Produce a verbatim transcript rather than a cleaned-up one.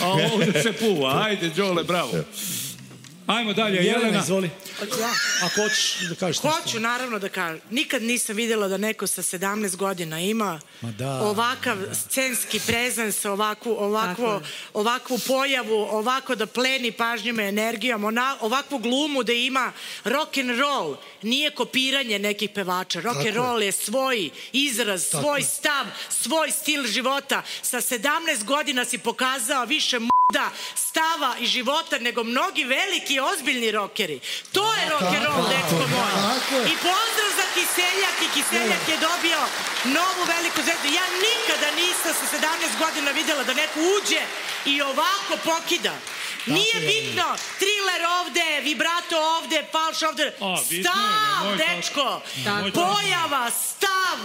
A ovdje se puva. Ajde, Đole, bravo. Ajmo dalje, Jelena. Jelena, izvoli. Ako hoćeš da kažeš nešto. Hoću, naravno da kažem. Nikad nisam vidjela da neko sa sedamnaest godina ima ovakav scenski prezens, ovakvu, ovakvu, ovakvu pojavu, ovako da pleni pažnjom i energijom, ovakvu glumu da ima. Rock and roll nije kopiranje nekih pevača. Rock and roll je svoj izraz, svoj stav, svoj stil života. Sa sedamnaest godina si pokazao više muda, stava i života nego mnogi veliki i ozbiljni rokeri. To je rock and roll, dečko moj. I pozdrav za Kiseljak, i Kiseljak je dobio novu veliku zvezdu. Ja nikada nisam sa sedamnaest godina vidjela da neko uđe i ovako pokida. Nije bitno, thriller ovde, vibrato ovde, falš ovde. Stav, dečko, pojava, stav.